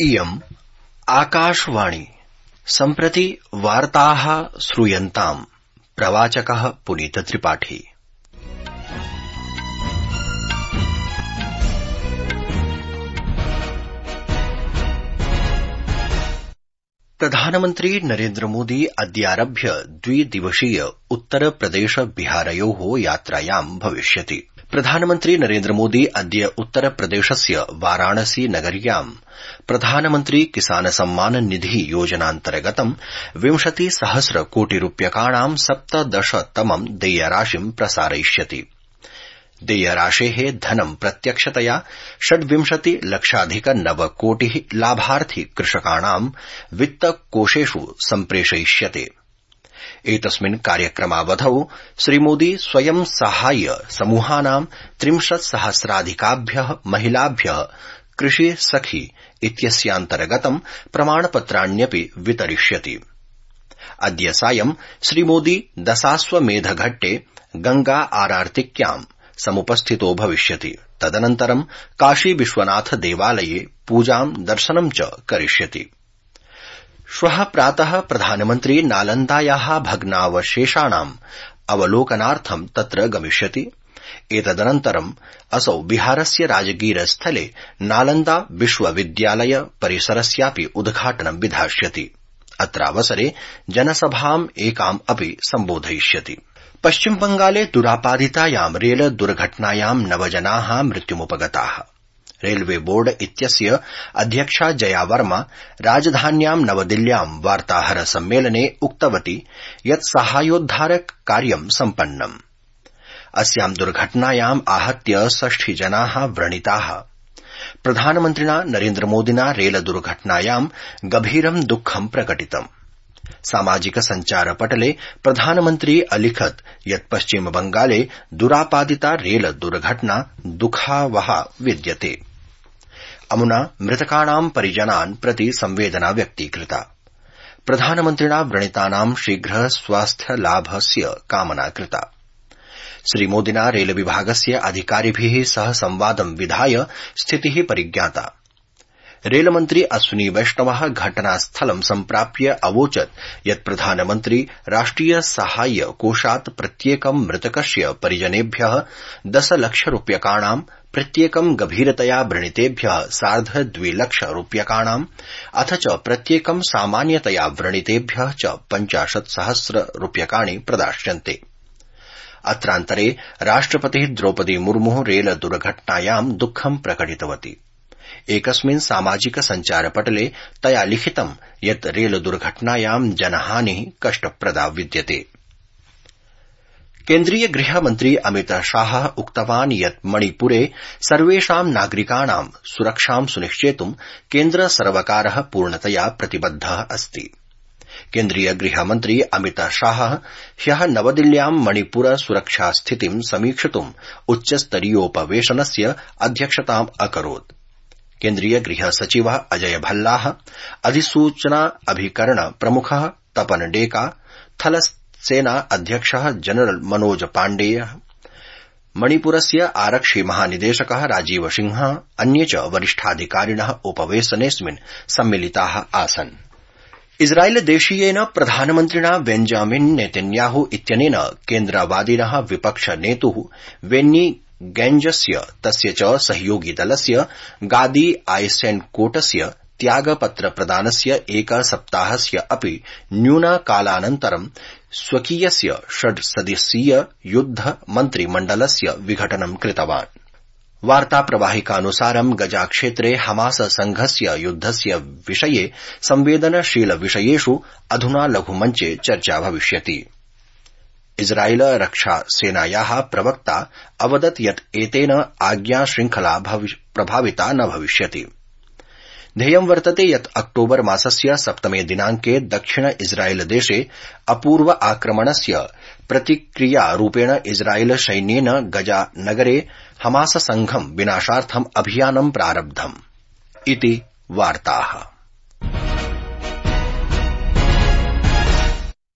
इयम् आकाशवाणी सम्प्रति वार्ताः श्रूयन्ताम्। प्रवाचकः पुनीत त्रिपाठी। प्रधानमन्त्री नरेन्द्र मोदी अद्यारभ्य द्विदिवसीय उत्तरप्रदेश बिहारयोः यात्रायां भविष्यति। प्रधानमन्त्री नरेन्द्र मोदी अद्य उत्तरप्रदेशस्य वाराणसी नगर्यां प्रधानमन्त्री किसान सम्मान निधि योजनान्तर्गतं 20,000 कोटिरूप्यकाणां 17तमं देयराशिं प्रसारयिष्यति। देयराशेः धनं प्रत्यक्षतया 26,00,000 कोटिः लाभार्थी कृषकाणां वित्तकोषेषु सम्प्रेषयिष्यते। एतस्मिन् कार्यक्रमावधौ श्रीमोदी स्वयं साहाय्य समूहानां 30,000 महिलाभ्यः कृषि सखी इत्यस्यान्तर्गतं प्रमाणपत्राण्यपि वितरिष्यति। अद्य सायं श्रीमोदी दशाश्वमेधघट्टे गंगा आरार्तिक्यां समुपस्थितो भविष्यति। तदनन्तरं काशी विश्वनाथ देवालये पूजां दर्शनं च करिष्यति। श्वः प्रातः प्रधानमन्त्री नालन्दायाः भग्नावशेषाणाम् अवलोकनार्थं तत्र गमिष्यति। एतदनन्तरम् असौ बिहारस्य राजगीर स्थले नालन्दा विश्वविद्यालय परिसरस्यापि उद्घाटनं विधास्यति। अत्रावसरे जनसभाम् एकाम् अपि सम्बोधयिष्यति। पश्चिमबंगाले दुरापादितायां रेल दुर्घटनायां 9 जनाः मृत्युमुपगताः। रेलवे बोर्ड इत्यस्य अध्यक्षा जया वर्मा राजधान्यां नवदिल्ल्यां वार्ताहर सम्मेलने उक्तवती यत् साहाय्योद्धार कार्यं सम्पन्नम्। अस्यां दुर्घटनायाम् आहत्य 60 जनाः व्रणिताः। प्रधानमन्त्रिणा नरेन्द्र मोदिना रेल दुर्घटनायां गभीरं दुःखं प्रकटितम्। सामाजिक सञ्चारपटले प्रधानमन्त्री अलिखत् यत् पश्चिमबंगाले दुरापादिता रेल दुर्घटना दुःखावहा विद्यते। अमुना मृतकाणां परिजनान् प्रति संवेदना व्यक्तीकृता। प्रधानमन्त्रिणा व्रणितानां शीघ्र स्वास्थ्यलाभस्य कामना कृता। श्रीमोदिना रेलविभागस्य अधिकारिभिः सह संवादं विधाय स्थितिः परिज्ञाता। रेलमन्त्री अश्विनी वैष्णवः घटनास्थलं सम्प्राप्य अवोचत् यत् प्रधानमन्त्री राष्ट्रिय साहाय्य कोषात् प्रत्येकं मृतकस्य परिजनेभ्यः 10 लाख रूप्यकाणां, प्रत्येकं गभीरतया व्रणितेभ्यः 2.5 लाख रूप्यकाणां अथ च प्रत्येकं सामान्यतया व्रणितेभ्यः च 50,000 रूप्यकाणि प्रदास्यन्ते। अत्रान्तरे राष्ट्रपतिः द्रौपदी मुर्मुः रेल दुर्घटनायां दुःखं प्रकटितवती। एकस्मिन् सामाजिक सञ्चारपटले तया लिखितं यत् रेल दुर्घटनायां जनहानिः कष्टप्रदा विद्यते। केन्द्रीय गृहमन्त्री अमित शाहः उक्तवान् यत् मणिपुरे सर्वेषां नागरिकाणां सुरक्षां सुनिश्चेतुं केन्द्र सर्वकारः पूर्णतया प्रतिबद्धः अस्ति। केन्द्रीय गृहमन्त्री अमित शाहः ह्यः नवदिल्ल्यां मणिपुर सुरक्षा स्थितिं समीक्षितुं उच्चस्तरीयोपवेशनस्य अध्यक्षताम् अकरोत्। केन्द्रीय गृह सचिवः अजय भल्लाः, अधिसूचना अभिकरण प्रमुखः तपन डेका, थलसेना अध्यक्षः जनरल मनोज पाण्डेयः, मणिपुरस्य आरक्षि महानिदेशकः राजीव सिंहः, अन्ये च वरिष्ठाधिकारिणः उपवेशनेऽस्मिन् सम्मिलिताः आसन्। इस्राएलदेशीयेन प्रधानमन्त्रिणा बेंजामिन नेतन्याहू इत्यनेन केन्द्रवादिनः विपक्षनेतुः बेन्नी गैंजस्य तस्य च सहयोगिदलस्य गादी आइसेनकोटस्य त्यागपत्र प्रदानस्य एकसप्ताहस्य अपि न्यूनकालानन्तरं स्वकीयस्य 6 सदस्यीय युद्ध मन्त्रिमण्डलस्य विघटनं कृतवान्। वार्ताप्रवाहिकानुसारं गजाक्षेत्रे हमास संघस्य युद्धस्य विषये संवेदनशील विषयेषु अधुना लघुमञ्चे चर्चा भविष्यति। इस्राएल रक्षासेनायाः प्रवक्ता अवदत् यत् एतेन आज्ञा श्रृंखला प्रभाविता न भविष्यति। ध्येयं वर्तते यत् अक्टोबर मासस्य 7 दिनांके दक्षिण इस्राएल देशे अपूर्व आक्रमणस्य प्रतिक्रियारूपेण इस्राएल सैन्येन गजा नगरे हमास संघं विनाशार्थं अभियानं प्रारब्धम् इति वार्ताः।